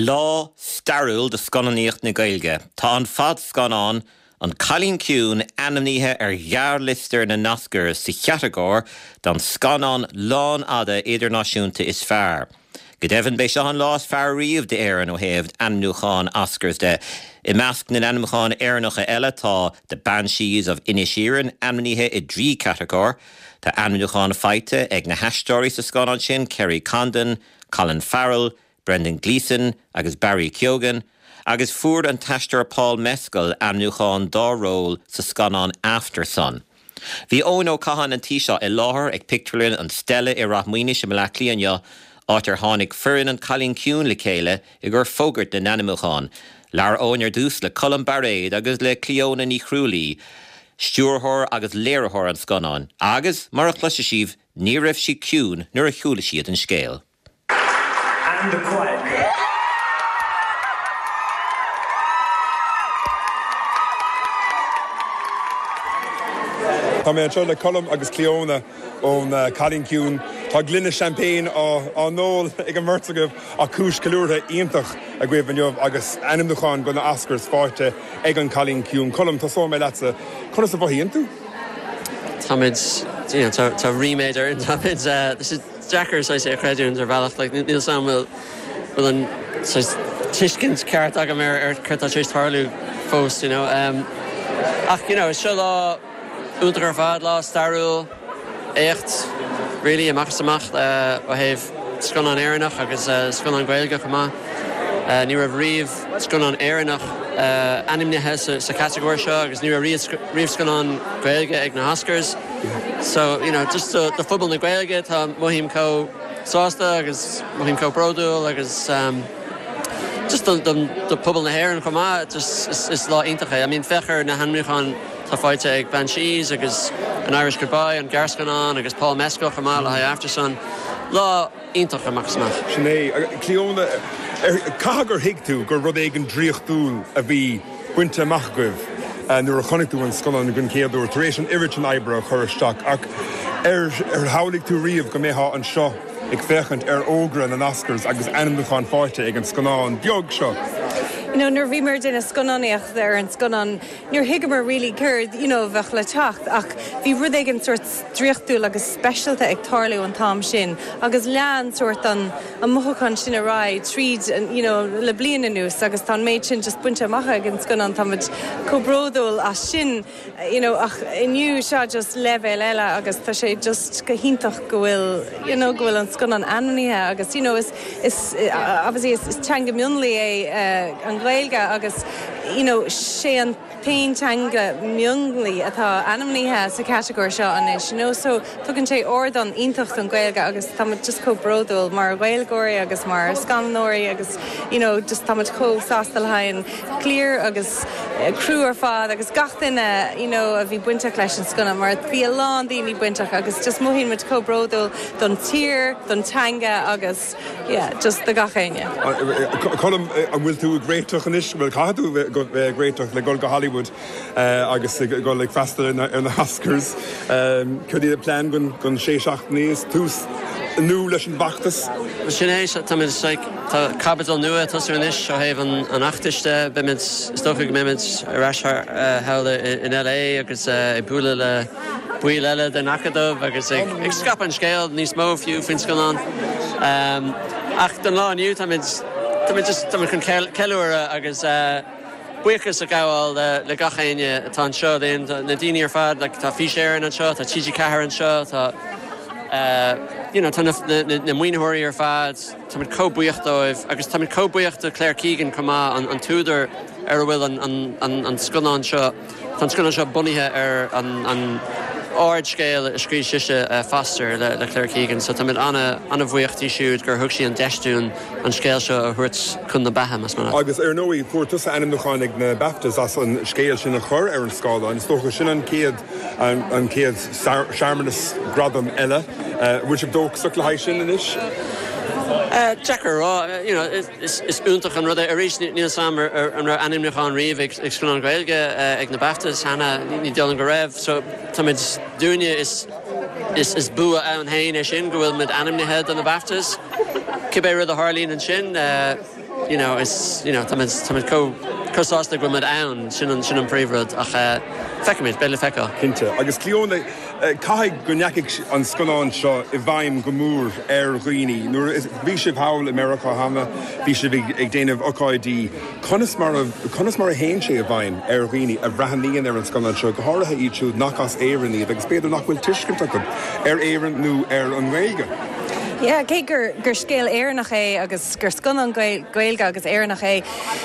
Lá stairiúil do scannánaíocht na Gaeilge. Tá an fadscannán An Cailín Ciúin ainmnithe ar ghearrliosta na nOscars sa chatagóir don scannán lánfhada idirnáisiúnta is fearr. Go deimhin, b'é seo an lá is fearr riamh d'Éirinn ó thaobh ainmniúcháin Oscars de. I measc na n-ainmniúchán Éireannacha eile tá The Banshees of Inisherin ainmnithe i dtrí chatagóir. Tá ainmniúchán faighte ag na haisteoirí sa scannán sin, Kerry Condon, Colin Farrell, Brendan Gleeson agus Barry Keoghan, agus fuair an t-aisteoir Paul Mescal ainmniúchán dá ról sa scannán Aftersun. Bhí Eoin Ó Catháin an tí seo i láthair ag pictiúrlann an Stella i Ráth Maoinis i mBleá Cliath inniu, áit ar tháinig foireann An Cailín Ciúin le chéile i gcomhair fógairt na n-ainmniúchán. Labhair Eoin ar dtús le Colm Bairéad agus le Clíona Ní Chrualaoi, stiúrthóir agus léiritheoir an scannáin, agus, mar a chloisfidh sibh, ní raibh siad ciúin nuair a chuala siad an scéal. And the Quiet Girl. Tá mé anseo le Colm agus Clíona ón Cailín Ciúin. Tá gloine champagne á n-ól ag an mbeirt agaibh ach cúis ceiliúrtha iontach agaibh inniu agus ainmniúchán do na Oscars faighte ag an Cailín Ciúin. Colm, tosóidh mé leatsa. Conas a mhothaíonn tú? Táimid, you know, tá ríméad orainn. Táimid, tá sé deacair saghas é a chreidiúint ar bhealach. Like, níl 'fhios a'm bhfuil, bhfuil an saghas tuiscint ceart agam ar, ar céard atá tar éis tarlú fós, you know. Um, ach, you know, is seo lá iontach ar fad, lá stairiúil, éacht, really, amach is amach, uh, ó thaobh scannán Éireannach agus uh, scannán Gaeilge chomh maith. Uh, ní raibh riamh scannán Éireannach uh, ainmnithe sa, sa chatagóir seo agus ní raibh riamh, riamh scannán Gaeilge ag na Oscars. So, you know, just do, do phobal na Gaeilge, tá mothaím chomh sásta agus mothaím chomh bródúil agus um, just do, do, do phobal na hÉireann chomh maith, just is, is lá iontach é. I mean, féach ar na hainmniúcháin atá faighte ag Banshees agus An Irish Goodbye, an gearrscannán agus Paul Mescal chomh maith le haghaidh Aftersun. Lá iontach amach is amach. Sin é. Clíona, caithfidh gur thuig tú gur rud éigin draíochtúil a bhí bainte amach agaibh nuair a chonaic tú an scannán den chéad uair, tar éis an oiread sin oibre a chur isteach. Ach ar shamhlaigh tú riamh go mbeifeá anseo ag féachaint ar fhógra na nOscars agus ainmniúchán faighte ag an scannán beag seo? You know, nuair a bhíomar ag déanamh scannánaíocht ar an scannán, Níor thuigeamar really céard you know a bheadh le teacht ach bhí rud éigin sórt draíochtúil agus speisialta ag tarlú an t-am sin agus lean sórt an an mothúchán sin ar aghaidh tríd an you know le bliain anuas agus tá an méid sin just bainte amach ag an scannán táimid chomh bródúil as sin you know ach inniu seo just leibhéal eile agus tá sé just go hiontach go bhfuil you know go bhfuil an scannán ainmnithe agus you know is is obviously is teanga mionlaigh é an Ghaeilge agus you know, sé an t-aon teanga mionlaigh atá ainmnithe sa chatagóir seo anois, you know, so tugann sé ardán iontach don Ghaeilge agus táimid just chomh bródúil mar Ghaeilgeoirí agus mar scannánóirí agus, you know, just táimid chomh sásta le haghaidh an chliar agus criú ar fad agus gach duine, you know, a bhí bainteach leis an scannán mar bhí a lán daoine bainteach agus just mothaíonn muid chomh bródúil don tír, don teanga agus. Yeah, just do gach éinne. Colm, an bhfuil tú ag réiteach anois? Bhuel, caithfidh tú bheith ag réiteach le dul go Hollywood agus ag dul ag freastal ar na hOscars. Céard iad na plean don sé seachtainí? Is tús nua leis an bhfeachtas? Sin é, táimid, like, tá caibidil nua ag tosú anois ó thaobh an fheachtais de. Beimid, is dócha go mbeimid ar ais thall in LA agus ag bualadh le baill eile den Acadamh agus ag scaipeadh an scéil níos mó fiú faoin scannán. Ach don lá inniu táimid, táimid just, táimid chun ceiliúradh agus buíochas a ghabháil le gach éinne atá anseo linn, na daoine ar fad, like tá Fís Éireann anseo, tá TG4 anseo, tá you know tá na, na maoinitheoirí ar fad, táimid chomh buíoch dóibh agus táimid chomh buíoch do Claire Keegan chomh maith, an, an t-údar ar a bhfuil an, an, an, an scannán seo. Tá an scannán seo bunaithe ar an ardscéal a scríobh sise, Foster, le Claire Keegan, so táimid an-bhuíoch di siúd gur thug sí an deis dúinn an scéal seo a thabhairt chun na beatha, más maith leat. Agus ar ndóigh, fuair tusa ainmniúchán ag na BAFTAs as an scéal sin a chur ar an scáileán. Is dócha sin an chéad an chéad searmanas gradam eile. An bhfuil sibh dóchasach le haghaidh sin anois? Deacair a rá. You know, Is iontach an rud é. Arís, níl 'fhios a'm an raibh ainmniúchán riamh ag scannán Gaeilge ag na BAFTAs cheana, ní dóigh liom go raibh. So táimid, dúinne is is bua ann féin é sin go bhfuil muid ainmnithe do na BAFTAs. Cibé rud a tharlaíonn ansin. you know, is, you know, táimid, táimid chomh, chomh sásta go bhfuil muid ann, sin an, sin an príomhrud ach eh, feicfimid, beidh le feiceáil. Cinnte. Agus Clíona, caithfidh go ndeachaigh an scannán seo i bhfeidhm go mór ar dhaoine. Nuair a bhí sibh thall i Meiriceá cheana, bhí sibh ag, ag déanamh ocáidí, conas mar a, conas mar a théann sé i bhfeidhm ar dhaoine a bhreathnaíonn ar an scannán seo, go háirithe iad siúd nach as Éirinn iad agus b'fhéidir nach bhfuil tuiscint acu ar Éirinn nó ar an nGaeilge? Yeah, cé gur, gur scéal Éireannach é agus gur scannán Gaeilge agus Éireannach é,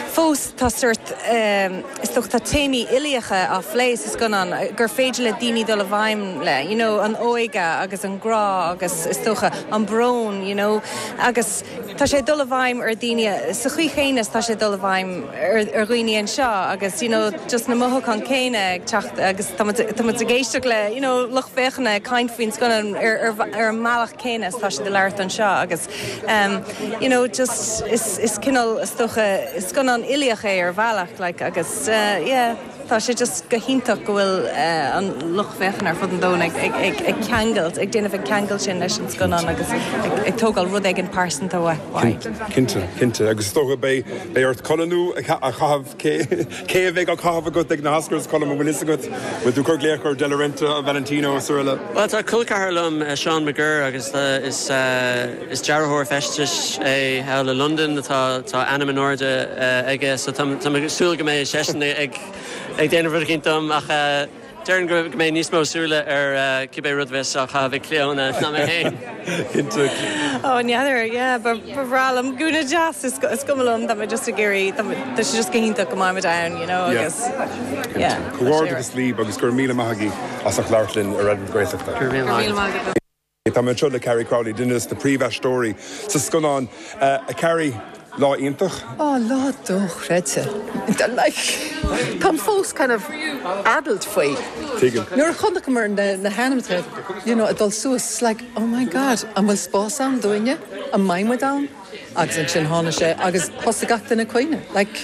fós tá sórt, is dócha tá téamaí uilíocha á phlé sa scannán gur féidir le daoine dul i bhfeidhm le, you know, an óige agus an grá agus is dócha an brón, you know, agus tá sé ag dul i bhfeidhm ar dhaoine sa chaoi chéanna is tá sé ag dul i bhfeidhm ar ar dhaoine anseo agus, you know, just na mothúcháin céanna ag teacht agus tá muid tá muid ag éisteacht le, you know, lucht féachana ag caint faoin scannán ar ar ar an mbealach céanna is tá siad ag labhairt anseo agus you know just is is cineál is dócha scannán uilíoch é ar bhealach like agus yeah tá sé just go hiontach go bhfuil an lucht féachana ar fud an domhain ag ag ag ag ceangailt ag déanamh an ceangal sin leis an scannán agus ag ag tógáil rud éigin pearsanta uaidh. Cinnte, cinnte agus is dócha beidh beidh ort culaith nua a chaitheamh Cé a bheidh á caitheamh agat ag na hOscars, Colm, an bhfuil fhios agat? Bhfuil tú ag cur glaoch ar De La Renta, Valentino is araile? Bhuel, tá col ceathar liom, Seán McGirr, agus is is dearthóir feistis é thall i Londain. Tá tá ainm in airde aige, so tá tá mé ag súil go mbeidh seisean ag ag déanamh rud eicínt dom ach Déarfainn go mbeidh níos mó súile ar cibé rud a bheas á chaitheamh ag Clíona ná mé féin. Cinnte. Ó, n'fheadar, yeah, ba bhreá liom gúna deas, is cuma liom, tá mé just ag iarraidh, tá sé just go hiontach go mbeidh muid ann, you know, agus, yeah. Comhghairdeachas libh agus go raibh míle maith agaibh as ucht labhairt linn ar Raidió na Gaeltachta. Go raibh míle maith agat. Tá mé anseo le Carrie Crowley, duine de na príomhaisteoirí sa scannán. A Carrie, lá iontach. Á, lá dochreidte. Like, táim fós kind of addled faoi. Tuigim. Nuair a chonaiceamar na hainmneacha, you know, ag dul suas, it's like, oh my God, an bhfuil spás ann dúinne? An mbeidh muid ann? Agus ansin tháinig sé agus thosaigh gach duine ag caoineadh. Like,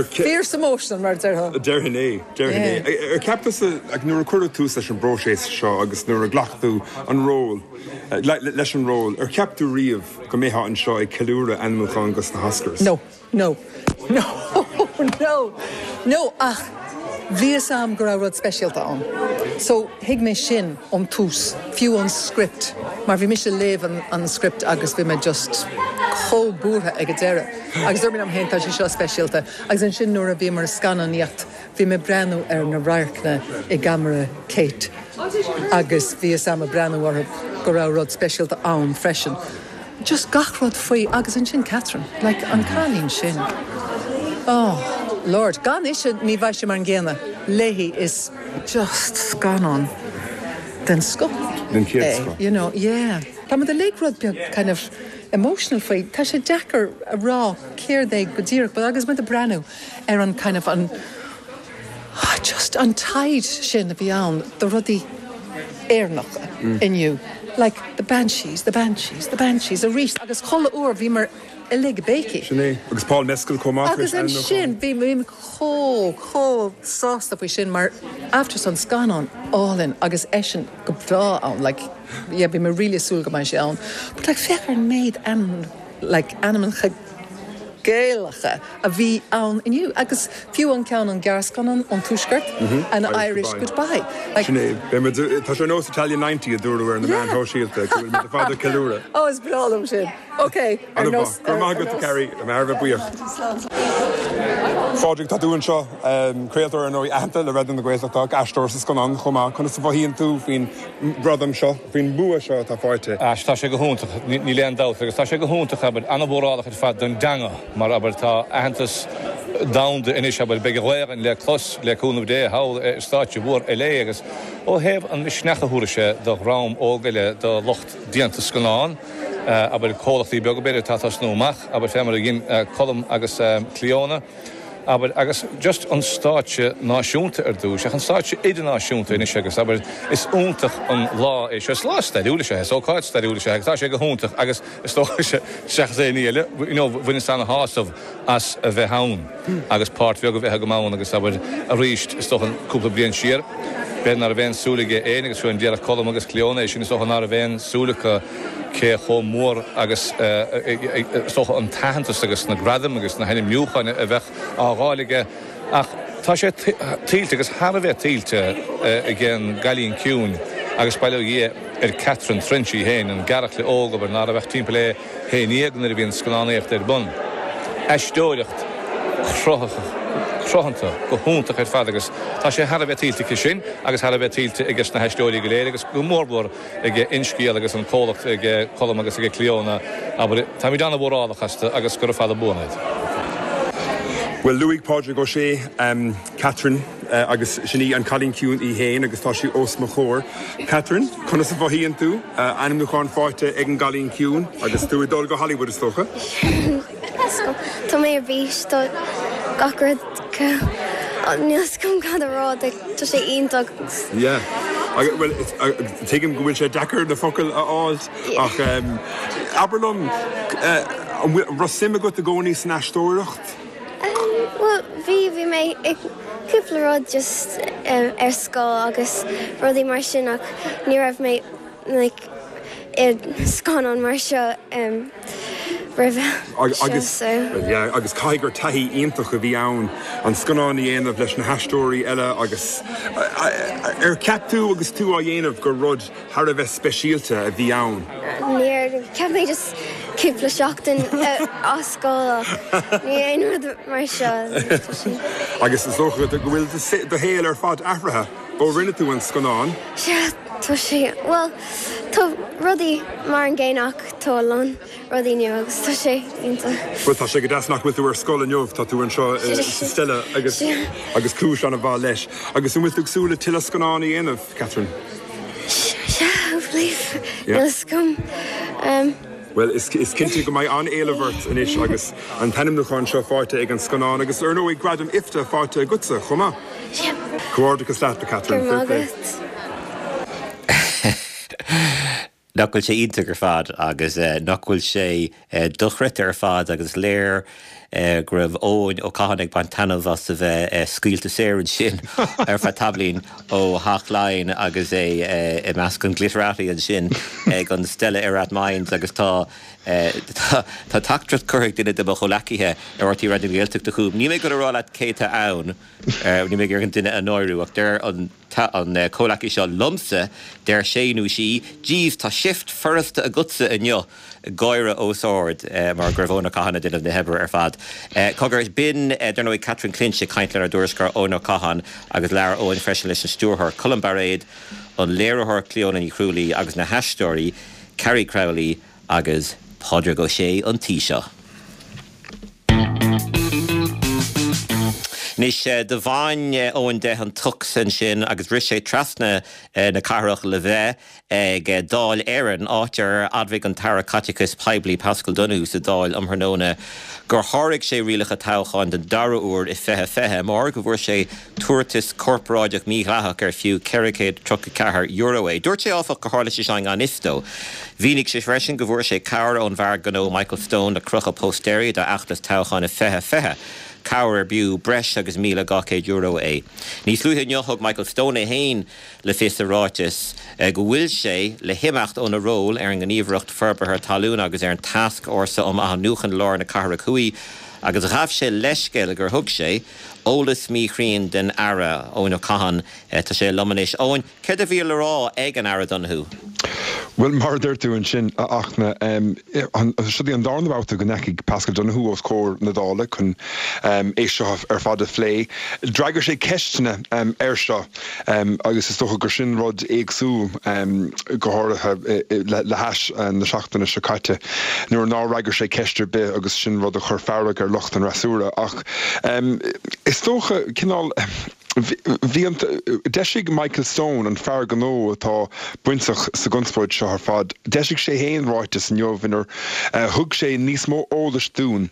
fierce emotional mar a déarfá. Déarfainn é, déarfainn é. Ar cheap tusa, like, nuair a cuireadh tús leis an bpróiseas seo agus nuair a ghlac tú an ról, leis an ról, ar cheap tú riamh go mbeifeá anseo ag ceiliúradh ainmniúchán dos na hOscars? No. No. No. No. No, ach bhí fhios a'm go raibh rud speisialta ann. So, thuig mé sin ón tús, fiú ón script, mar bhí mise ag léamh an, an script agus bhí mé just chomh buartha ag an deireadh. Agus dúirt mé liom féin, tá sé seo speisialta. Agus ansin nuair a bhíomar ag scannánaíocht, Bhí mé ag breathnú ar na radharcanna i gceamara Kate agus bhí fhios a'm ag breathnú orthu go raibh rud speisialta ann freisin. Just gach rud faoi agus ansin Catherine, like an cailín sin, oh Lord, gan ise ní bheadh sé mar an gcéanna léi is just scannán den scoth Den chéad é, scoth. you know, yeah. Tá muid uilig rud beag kind of emotional faoi, tá sé deacair a rá céard é go díreach but agus muid ag breathnú ar an kind of an just an taighde sin a bhí ann do rudaí Éireannacha inniu like the banshees, the banshees, the banshees arís agus chuile uair bhíomar uilig ag béicigh. Sin é. Agus Paul Mescal chomh maith tar éis Agus ansin bhí mé chomh, chomh sásta faoi sin mar Aftersun scannán álainn agus eisean go breá ann like yeah bhí mé really ag súil go mbeidh sé ann but like féach ar an méid ainm like ainmneacha Gaelacha a bhí ann inniu agus fiú an ceann an gearrscannán ón Tuaisceart, An Irish Goodbye. Like. Sin é. Beidh muid, tá sé ar nós Italian 90 a dúradh ar na meáin shóisialta, go bhfuil muid ar fad ag ceiliúradh. Oh, is breá liom sin. Ok, ar nós. Go raibh maith agat, Carrie. Tá mé thar a bheith buíoch. Phádraig, tá tú anseo, craoltóir ar ndóigh aitheanta le Raidió na Gaeltachta, aisteoir sa scannán chomh maith. Conas a mhothaíonn tú faoin ngradam seo, faoin mbua seo atá faighte? Sea, tá sé go hiontach, níl aon dabht, agus tá sé go hiontach, abair, an-mhórálach ar fad don dteanga, mar, abair, tá aitheantas domhanda anois, abair, beidh an Ghaelainn le clos, le cúnamh Dé, thall ar stáitse mhór LA agus ó thaobh an misneach a thabharfaidh sé do dhream óg eile, do lucht déanta scannán, abair, comhlachtaí beaga, b'fhéidir, atá ag tosnú amach, abair, fé mar a dhein Colm agus Clíona. abair, agus just an stáitse náisiúnta ar dtús, ach an stáitse idirnáisiúnta anois agus, abair, is iontach an lá é seo. Is lá stairiúil is ea é, is ócáid stairiúil is ea é agus tá sé go hiontach agus is dócha seachas aon ní eile, you know, bhaineas ana-shásamh as a bheith ann agus páirt bheag a bheith agam ann agus, abair, arís, is dócha cúpla bliain siar. B'fhéidir ná raibh aon súil aige fhéin agus fiú amháin déarfadh Colm agus Clíona é sin, is dócha ná raibh aon súil acu cé chomh mór agus is dócha an t-aitheantas agus na gradaim agus na hainmniúcháin a bheadh á dh'fháil aige. Ach tá sé tuillte agus thar a bheith tuillte ag an gCailín Ciúin agus bail ó Dhia ar Catherine Trench í féin, an gearrchaile óg, abair, ná raibh ach timpeall é haon dhéag nuair a bhí an scannánaíocht ar bun. Aisteoireacht cruthanta, go hiontach ar fad agus tá sé thar a bheith tuillte aici sin agus thar a bheith tuillte aige na haisteoirí go léir agus go mórmhór ag InScéal agus an comhlacht ag Colm agus ag Clíona, abair, táimid an-mhórálach astu agus gura fada buan iad. Bhuel, luaigh Pádraig Ó Sé Catherine agus sin í an Cailín Ciúin í fhéin agus tá sí os mo chomhair. Catherine, conas a mhothaíonn tú? Ainmniúchán faighte ag an gCailín Ciúin agus tú ag dul go Hollywood is dócha? Tá mé ar bís, tá gach rud, níl 'fhios agam cad a rá, tá sé iontach. Yeah. Bhuel, tuigim go bhfuil sé deacair na focail a fháil ach abair liom, an raibh suim agat i gcónaí san aisteoireacht? Bhuel, bhí, bhí mé i cúpla rud just ar scoil agus rudaí mar sin ach ní raibh mé like i scannán mar seo roimhe seo so. Yeah, agus caithfidh gur taithí iontach a bhí ann an scannán a dhéanamh leis na haisteoirí eile agus ar cheap tú agus tú á dhéanamh gur rud thar a bheith speisialta a bhí ann? Níor, cheap mé just cúpla seachtain as scoil ach ní aon rud mar seo. Agus is dócha go bhfuil do shaol ar fad athraithe ó rinne tú an scannán? Sea, tá sé, bhuel, tá rudaí mar an gcéanna ach tá a lán rudaí nua agus tá sé iontach. Bhuel, tá sé go deas nach bhfuil tú ar scoil inniu, tá tú anseo sa Stella agus agus cúis an-mhaith leis. Agus an bhfuil tú ag súil le tuilleadh scannán a dhéanamh, Catherine? Sea, hopefully, níl a fhios agam. Bhuel, is cinnte go mbeidh an-éileamh ort anois agus an t-ainmniúchán seo faighte ag an scannán agus, ar ndóigh, gradam IFTA faighte agatsa chomh maith. Comhghairdeachas leat, a Catherine. Go raibh maith agat. Nach bhfuil sé iontach ar fad agus nach bhfuil sé dochreidte ar fad agus is léir go raibh Eoin Ó Catháin ag baint taitneamh as a bheith scaoilte saor ansin ar feadh tamaillín ó Theach Laighean agus é i measc an glitterati ansin ag an Stella i Rathmines agus tá tá teachtaireacht curtha ag duine de mo chomhleacaithe ar RTÉ Raidió na Gaeltachta chugam. Níl mé ag dul a rá leat cé atá ann. Níl mé ag iarraidh an duine a náiriú ach deir an comhleacaí seo liomsa, deir sé nó sí, Jeez, tá shift furasta agatsa inniu! Gáire os ard mar go raibh Eoin Ó Catháin ag déanamh na hoibre ar fad. Cogar, b'in, dar ndóigh, Catherine Clinch ag caint lenár dtuairisceoir Eoin Ó Catháin agus labhair Eoin freisin leis an stiúrthóir Colm Bairéad, an léiritheoir Clíona Ní Chrualaoi agus na haisteoirí Carrie Crowley agus Pádraig Ó Sé an Taoiseach. Anois, do bhain Eoin de an tux ansin agus rith sé trasna na cathrach le bheith ag Dáil Éireann, áit ar admhaigh an tAire Caiteachais Poiblí Paschal Donohoe sa Dáil um thráthnóna gur sháraigh sé rialacha toghcháin den dara huair i 2020 mar go bhfuair sé tabhartas corparáideach mídhleathach ar fiú €434 é. Dúirt sé, áfach, gur tharla sé seo i ngan fhios dó. Mhínigh sé freisin go bhfuair sé cabhair ón bhfear gnó Michael Stone le crochadh póstaeirí dá fheachtas toghcháin i 2020, cabhair ar b'fhiú breis agus €1,200 é. Níos luaithe inniu thug Michael Stone é féin le fios i ráiteas go bhfuil sé le himeacht óna ról ar an nGníomhaireacht Forbartha Talún agus ar an Tascfhórsa um Athnuachan Lár na Cathrach Thuaidh agus ghabh sé leithscéal gur thug sé eolas míchruinn don Aire, Eoin Ó Catháin. Tá sé liom anois. Eoin, céard a bhí le rá ag an Aire Donohoe? Bhuel, mar a deir tú ansin, a Fhachtna, seo í an darna babhta go ndeachaigh Paschal Donohoe os comhair na Dála chun é seo ar fad a phlé. D'fhreagair sé ceisteanna air seo agus is dócha gur sin rud éagsúil, go háirithe le hais na seachtaine seo caite nuair nár fhreagair sé ceist ar bith agus sin rud a chuir fearg ar lucht an fhreasúra. Ach is dócha, cineál, bhí an, d'eisigh Michael Stone, an fear gnó atá bainteach sa gconspóid seo ar fad, d'eisigh sé féin ráiteas inniu inar thug sé níos mó eolais dúinn.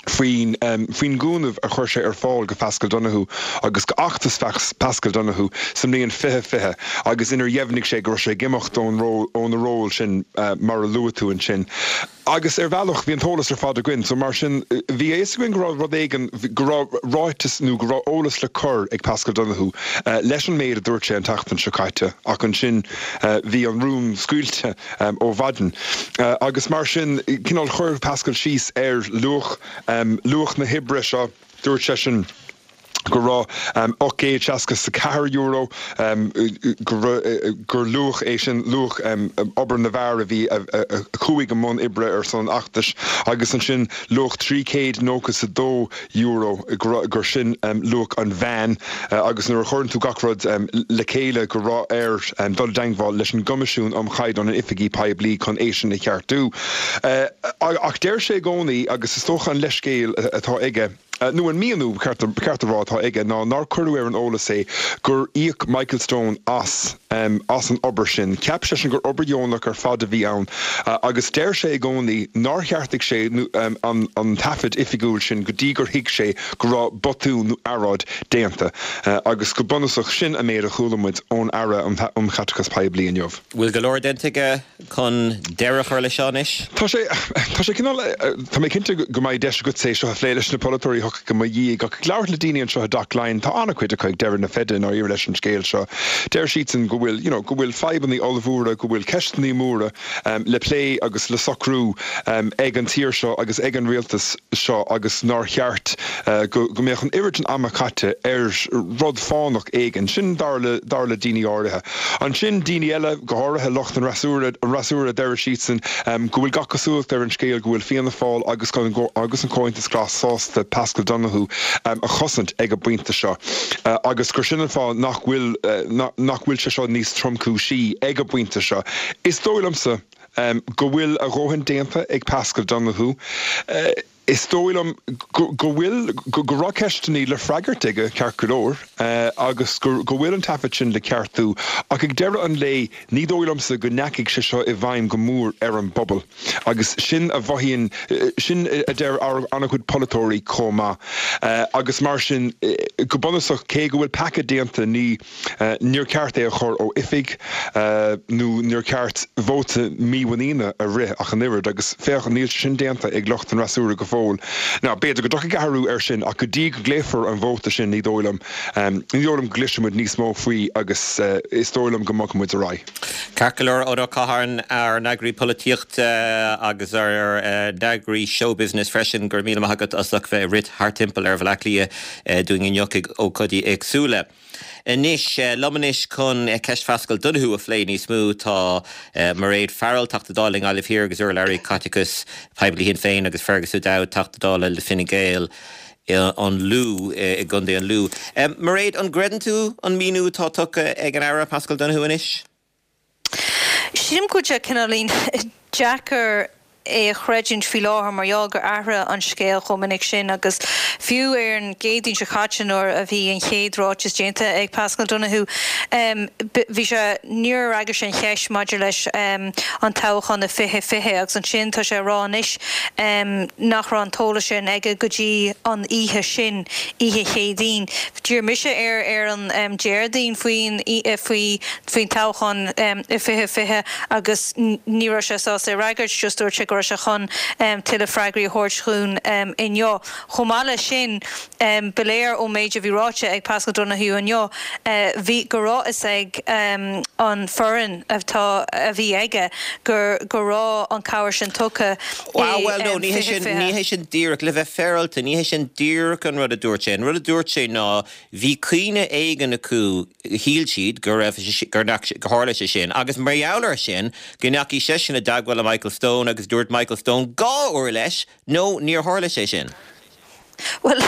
Faoin faoin gcúnamh a chuir sé ar fáil go Paschal Donohoe agus go fheachtas Paschal Donohoe sa mbliain 2020 agus inar dheimhnigh sé go raibh sé ag imeacht ón ról óna ról sin mar a luaigh tú ansin. Agus ar bhealach bhí an t-eolas ar fad againn so mar sin bhí a fhios againn go raibh rud éigin go raibh ráiteas nó go raibh eolas le cur ag Paschal Donohoe leis an méid a dúirt sé an tseachtain seo caite ach ansin bhí an rún scaoilte. ó mhaidin. Agus mar sin, cineál chuir Paschal síos ar luach, luach na hoibre seo. Dúirt seisean go raibh €864, gur luach é sin, luach obair na bhfear a bhí, a chuaigh i mbun oibre ar son an fheachtais, agus ansin luach €392, gur sin luach an mheáin agus nuair a chuireann tú gach rud le chéile go raibh air dul i dteangmháil leis an gCoimisiún um Chaighdeán in Oifigí Poiblí chun é sin a cheartú. Ach deir sé i gcónaí, agus is dócha an leithscéal atá aige, nó an míniú, ba cheart a rá, atá aige ná nár cuireadh ar an eolas é gur íoc Michael Stone as as an obair sin. Cheap seisean gur obair dheonach ar fad a bhí ann agus deir sé i gcónaí nár cheartaigh sé an taifead oifigiúil sin go dtí gur thuig sé go raibh botún nó earráid déanta. Agus go bunúsach, sin an méid a chuala muid ón Aire um Chaiteachas Poiblí inniu. Bhfuil go leor déanta aige chun deireadh a chur leis seo anois? Tá sé, tá sé cineál, tá mé cinnte go mbeidh deis agatsa é seo a phlé leis na polaiteoirí a thiocfaidh i mo dhiaidh, ach ag labhairt le daoine anseo i dTeach Laighean, tá an-chuid acu ag deireadh na feide i ndáiríre leis an scéal seo. Deir siadsan go bhfuil, you know, go bhfuil fadhbanna ollmhóra, go bhfuil ceisteanna móra le plé agus le socrú ag an tír seo agus ag an rialtas seo agus nár cheart go mbeadh an oiread sin ama caite ar rud fánach éigin. Sin dar le, dar le daoine áirithe. Ansin, daoine eile, go háirithe lucht an fhreasúra, an fhreasúra, deir siadsan go bhfuil gach cosúlacht ar an scéal go bhfuil Fianna Fáil agus agus an Comhaontas Glas sásta Paschal Donohoe a chosaint ag an bpointe seo agus gur sin an fáth nach bhfuil nach bhfuil sé seo níos tromchúisí ag an bpointe seo. Is dóigh liomsa go bhfuil a dhóthain déanta ag Paschal Donohoe. Is dóigh liom go bhfuil, go raibh ceisteanna le freagairt aige, ceart go leor, agus go bhfuil an taifead sin le ceartú, ach ag deireadh an lae, ní dóigh liomsa go ndeachaigh sé seo i bhfeidhm go mór ar an bpobal. Agus sin a mhothaíonn, sin a deir an-chuid polaiteoirí chomh maith. Agus mar sin, go bunúsach, cé go bhfuil peaca déanta, ní. Níor cheart é a chur ó oifig nó níor cheart vóta mímhuiníne a rith ach an oiread agus féach, níl sé sin déanta ag lucht an fhreasúra go fóill. Now, b'fhéidir go dtiocfaidh athrú air sin ach go dtí go bpléifear an vóta sin ní dóigh liom, ní dóigh liom go gcloisfidh muid níos mó faoi agus is dóigh liom go mbogfaidh muid ar aghaidh. Ceart go leor, Eoin Ó Catháin, ár n-eagraí polaitíochta agus ár n-eagraí showbusiness freisin, go raibh míle maith agat as ucht bheith ag rith thart timpeall ar Bhaile Átha Cliath dúinn inniu ag ócáidí éagsúla. Anois, liom anois chun ceist Phaschal Donohoe a phlé níos mó tá Mairéad Farrell, Teachta Dála i nGaillimh Thiar agus urlabhraí caiteachais poiblí Shinn Féin agus Fergus O'Dowd, Teachta Dála le Fine Gael an Lú, i gContae an Lú. Mairéad, an gcreideann tú an míniú atá tugtha ag an Aire Paschal Donohoe anois? Sílim go bhfuil sé cineáilín deacair é a chreidiúint faoi láthair mar gheall gur athraigh an scéal chomh minic sin agus fiú ar an gCéadaoin seo caite nuair a bhí an chéad ráiteas déanta ag Paschal Donohoe bhí sé níor fhreagair sé an cheist maidir leis an toghchán i 2020 agus ansin tá sé a rá anois nach raibh an t-eolas sin aige go dtí an oíche sin, oíche Chéadaoin. D'iarr mise air ar an Déardaoin faoin faoi faoin toghchán i 2020 agus ní raibh sé sásta é a fhreagairt, just dúirt sé go raibh sé chun tuilleadh freagraí a thabhairt dhúinn inniu. Chomh maith leis sin, ba léir ón méid a bhí ráite ag Paschal Donohoe inniu, bhí go raibh fhios ag an foireann atá a bhí aige gur go raibh an cabhair sin tugtha i Bhuel, no, ní hé sin, ní hé sin díreach, le bheith féaráilte, ní hé sin díreach an rud a dúirt sé. An rud a dúirt sé ná bhí cuimhne éigin acu, shíl siad go raibh, gur, gur tharla sé sin agus mar gheall air sin go ndeachaigh seisean i dteagmháil le Michael Stone agus dúirt Michael Stone dhá uair leis, no, níor tharla sé sin. Bhuel,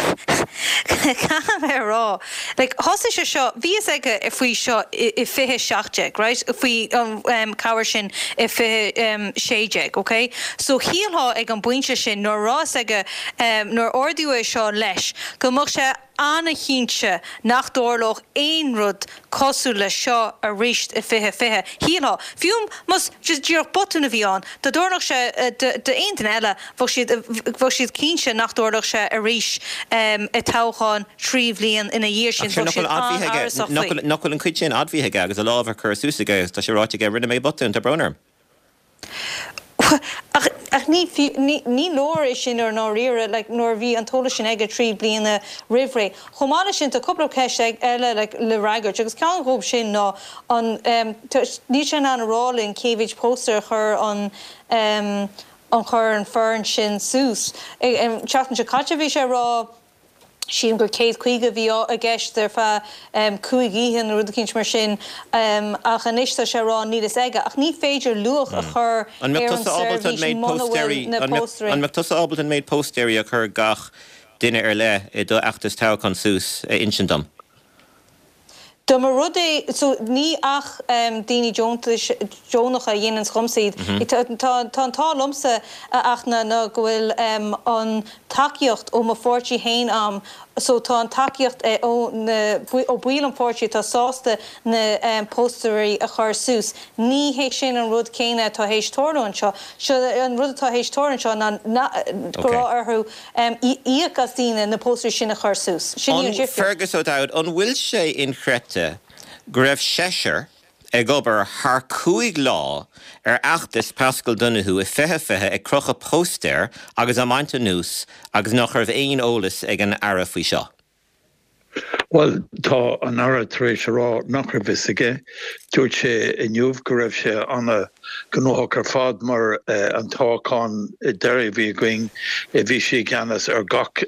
caithfidh mé a rá, like, thosaigh sé seo, bhí fhios aige faoi seo i 2017, right, faoi an cabhair sin i 2016, ok? So shílfeá ag an bpointe sin, nuair a raibh fhios aige, nuair a ardaíodh é seo leis, go mbeadh sé. an-chinnte nach dtarlódh aon rud cosúil leis seo arís i 2020. Shílfeá, fiú más just díreach botún a bhí ann, dá dtarlódh sé d'aon duine eile, bheadh siad, bheadh siad cinnte nach dtarlódh sé arís i toghchán 3 bhliain ina dhiaidh sin. Bheadh siad an-amhrasach faoi. Nach bhfuil an chuid sin admhaithe aige agus a lámh á cur suas aige agus tá sé ráite aige, rinne mé botún, tá brón orm. Ach, ach ní, ní, ní leor é sin i ndáiríre, like, nuair a bhí an t-eolas sin aige 3 bliana roimh ré. Chomh maith leis sin, tá cúpla ceist eile, like, le fhreagairt, agus ceann dhóibh sin ná an, em, tá, níl sé in ann a rá linn cé mhéid póstaer a chuir an, em, an chuir an foireann sin suas. An tseachtain seo caite bhí sé ag rá, sílim gur 150 a bhí i gceist ar feadh 5 oíche nó rud eicínt mar sin ach anois tá sé ag rá níl fhios aige. Ach ní féidir luach a chur An ar mbeadh an tusa ábalta an seirbhís méid muna bhfuil póstaeirí na póstaeirí. An mbeadh tusa ábalta an méid póstaeirí a chuir gach duine ar leith i do fheachtas toghcháin suas a insint dom? Dá mba rud é, so ní ach daoine deontais, deonacha a dhéananns dhomsa iad. Tá an t-ádh liomsa a Fhachtna ná go bhfuil an tacaíocht ó mo pháirtí fhéin a'm, so tá an tacaíocht ó na, ó baill an pháirtí atá sásta na póstaeirí a chur suas. Ní hé sin an rud céanna atá théis tarlú anseo. Seo, an rud atá théis tarlú anseo ná go raibh orthu íoc as daoine na póstaeirí sin a chur suas. Sin í an difríocht. Fergus O'Dowd, an bhfuil sé inchreidte go raibh seisear ag obair thar 5 lá ar fheachtas Paschal Donohoe i 2020 ag crochadh póstaer agus á mbaint anuas agus nach raibh aon eolas ag an Aire faoi seo? Bhuel, tá an Aire tar éis a rá nach raibh fhios aige. Dúirt sé inniu go raibh sé ana-ghnóthach ar fad mar an toghchán deiridh a bhí againn, bhí sé i gceannas ar gach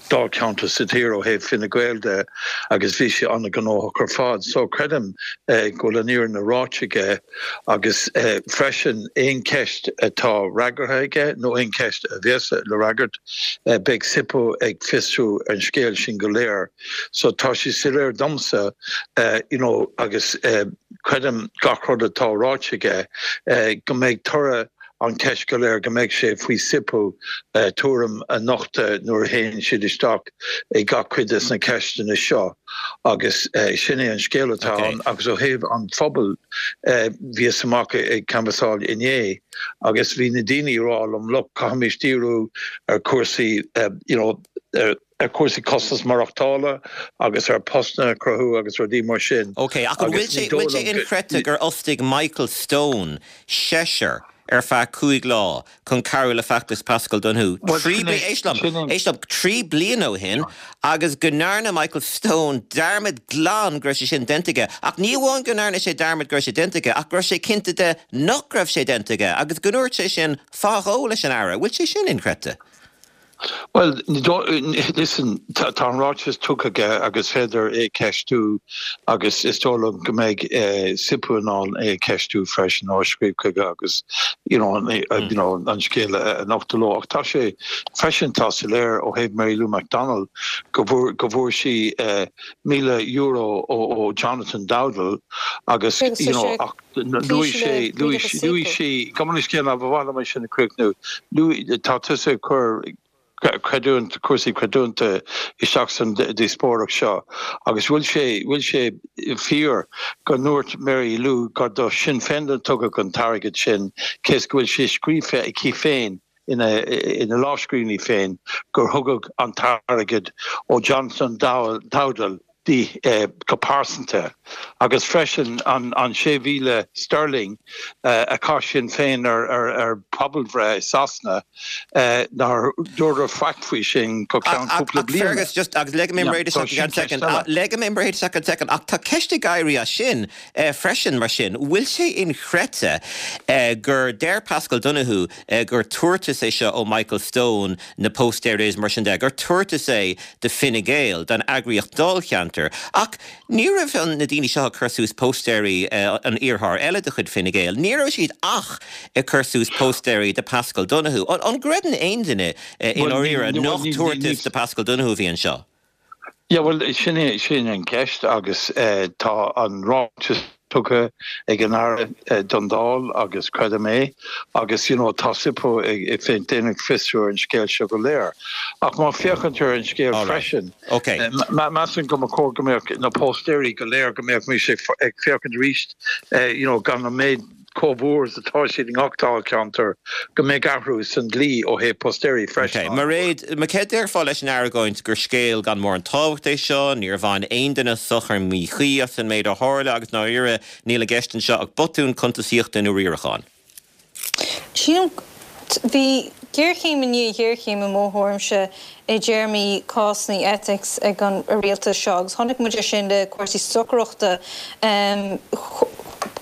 dáilcheantar sa tír ó thaobh Fine Gael de agus bhí sé ana-ghnóthach ar fad. So creidim go bhfuil an fhírinne ráite aige agus freisin aon cheist atá fhreagartha aige nó aon cheist a bheas le fhreagairt, Beidh SIPO ag fiosrú an scéal sin go léir. So tá sé soiléir domsa you know agus creidim gach rud atá ráite aige go mbeidh toradh an cheist go léir go mbeidh sé faoi SIPO tuairim a nochtadh nuair a théann siad isteach i gach cuid des na ceisteanna seo agus sin é an scéal atá ann agus ó thaobh an phobail bhíos amach ag canbhasáil inné Agus bhí na daoine ag rá liom, look, caithfimís díriú ar chúrsaí, you know, ar chúrsaí costas maireachtála agus ar postanna a chruthú agus rudaí mar sin. Ok, ach an bhfuil sé, bhfuil sé inchreidte gur fhostaigh Michael Stone seisear ar feadh 5 lá chun cabhrú le feachtas Paschal Donohoe 3 bliana, éist liom, éist liom, 3 bliana ó shin agus go ndearna Michael Stone dearmad glan go raibh sé sin déanta aige. Ach ní amháin go ndearna sé dearmad go raibh sé déanta aige, ach go raibh sé cinnte de nach raibh sé déanta aige agus go ndúirt sé sin fadó leis an Aire. Bhfuil sé sin inchreidte? Bhuel, listen, tá an ráiteas tugtha aige agus féidir é ceistiú agus is dóigh liom go mbeidh SIPO in ann é a cheistiú freisin nó a scríobh chuige agus you know, you know, an scéal a nochtadh leo. Ach tá sé Freisin tá soiléir ó thaobh Mary Lou McDonald go bhfuair go bhfuair sí €1,000 ó Jonathan Dowdall agus you know ach luaigh sé luaigh luaigh sí gabh mo leithscéal ba mhaith liom é sin a chríochnú luaigh tá tusa ag cur creidiúint cúrsaí creidiúnta isteach san díospóireacht seo agus bhfuil sé bhfuil sé fíor go ndúirt Mary Lou gur do Sinn Féin a tugadh an t-airgead sin cé is go bhfuil sé scríofa aici féin ina lámhscríbhinní féin gur thugadh an t-airgead ó Jonathan Dowdall di go pearsanta agus freisin an 6,000 sterling a chaith Sinn Féin ar phobalbhreith i Sasana nár dúradh faic faoi sin go ceann cúpla bliana. Ach Fergus, just, agus leagfaidh mé an bréid isteach i gceann soicind, leagfaidh mé an bréid isteach i gceann soicind, ach tá ceist ag éirí as sin freisin, mar sin, bhfuil sé inchreidte gur deir Paschal Donohoe gur tabhartas é seo ó Michael Stone, na póstaeir is mar sin de, gur tabhartas é do Fine Gael, don eagraíocht dáilcheantair. Ach ní raibh na daoine seo ag cur suas póstaeirí an iarrthóir eile de chuid Fine Gael, ní raibh siad ach ag cur suas póstaeirí do Paschal Donohoe. An gcreideann aon duine i ndáiríre nach tabhartas do Paschal Donohoe a bhí anseo? Yeah, bhuel, sin é, sin an cheist agus tá an ráiteas. tugtha ag an Aire don Dáil agus creidim é agus you know tá SIPO ag ag déanamh fiosrú ar an scéal seo go léir. Ach má féachann tú ar an scéal freisin, measaim go mba chóir go mbeadh na póstaeirí go léir go mbeadh mise ag féachaint arís you know gan an méid chomh mhór is atá siad i ngach dáilcheantar, go mbeadh athrú san dlí ó thaobh postaeirí freisin. Ok, Mairéad, céard a déarfá leis an argóint gur scéal gan mórán tábhacht é seo, níor bhain aon duine sochar míchuí as an méid a tharla agus ndáiríre níl i gceist anseo ach botún cuntasaíochta nó riaracháin? Sílim, bhí géarchéim i ndiaidh ghéarchéime i mo thuairimse i dtéarmaí cásanna ethics ag an rialtas seo agus chonaic muid é sin le cúrsaí stocaireachta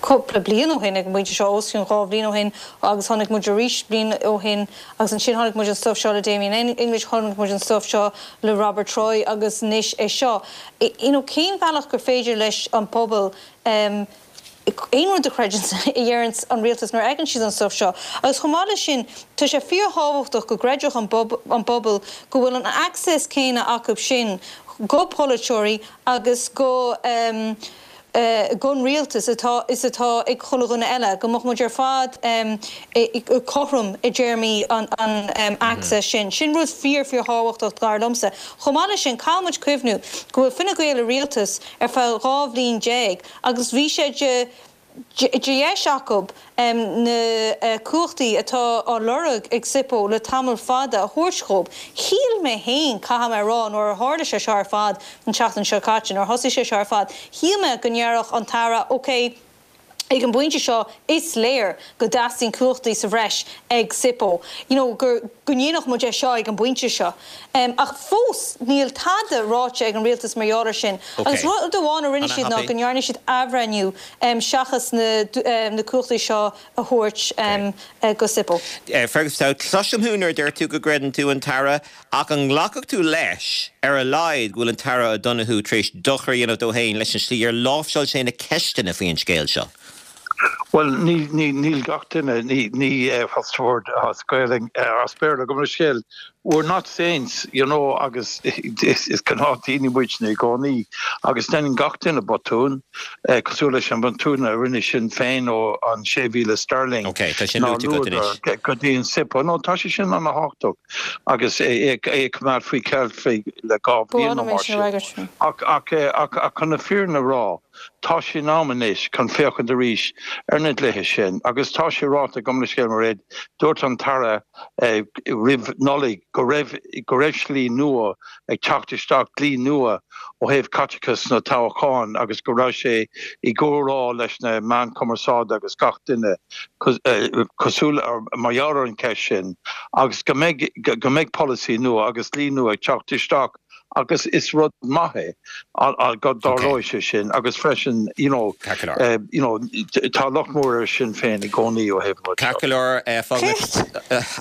cúpla bliain ó shin ag an bpointe seo, os cionn 2 bhliain ó shin agus chonaic muid arís bliain ó shin agus ansin chonaic muid an stuif seo le Damien English, chonaic muid an stuif seo le Robert Troy agus anois é seo. You know cén bealach gur féidir leis an bpobal aon rud a chreidiúint a dheireanns an rialtas nuair a fheiceann siad an stuif seo. Agus chomh maith leis sin, tá sé fíorthábhachtach go gcreidfeadh an bpobal go bhfuil an access céanna acu sin go polaiteoirí agus go gon rialtas atá is atá ag chuile dhuine eile, go mbeadh muid ar fad cothrom i dtéarmaí an access sin. Sin rud fíor fíor thábhachtach dar liomsa. Chomh maith leis sin, caithfidh muid cuimhniú go bhfuil Fine Gael i rialtas ar feadh 12 bhliain Agus bhí sé de dheis acu na cumhachtaí atá á lorg ag SIPO le tamall fada a thabhairt dhób. Shíl mé féin, caithfidh mé a rá, nuair a tharla sé seo ar fad an tseachtain seo caite, nuair a thosaigh sé seo ar fad, shíl mé go ndéarfadh an tAire, ok, ag an bpointe seo is léir go dteastaíonn cumhachtaí sa bhreis ag SIPO, you know, go ndéanfadh muid é seo ag an bpointe seo. Ach fós níl tada ráite ag an rialtas mar gheall air sin. Agus rud amháin a rinne siad ná go ndearna siad athbhreithniú seachas na cumhachtaí seo a thabhairt go SIPO. Fergus O'Dowd, cloisim thú nuair a deir tú go gcreideann tú an tAire, ach an nglacfadh tú leis, ar a laghad, go bhfuil an tAire O'Donoghue tar éis dochar a dhéanamh dó féin leis an slí ar láimhseáil sé na ceisteanna faoi an scéal seo? Bhuel, níl gach duine, ní, what's the word as Gaelainn, as Béarla, gabh mo leithscéal, we're not saints, you know, agus is gnáthdhaoine muidne i gcónaí agus déanann gach duine botún, cosúil leis an bhotún a rinne Sinn Féin ó an 6,000 sterling Ok, tá sin luaite agat anois. go dtí an SIPO. No, tá sé sin ana-thábhachtach agus é ag coimeád faoi cheilt faoi le 2 bhliain nó mar sin. Ach, ach, ach chun na fírinne a rá, Tá sé in am anois chun féachaint arís ar na dlíthe sin agus tá sé ráite, gabh mo leithscéal Mairéad, dúirt an tAire roimh Nollaig go raibh go raibh slí nua ag teacht isteach, dlí nua ó thaobh caiteachas sna toghcháin agus go raibh sé i gcomhrá leis na meáin chumarsáide agus gach duine cosúil mar gheall ar an cheist sin agus go mbeidh go mbeidh polasaí nua agus dlí nua ag teacht isteach agus is rud maith é go dtarlóidh sé sin agus freisin you know you know tá locht mór ar Sinn Féin i gcónaí ó thaobh an rud seo. Ceart go leor, fágfaidh.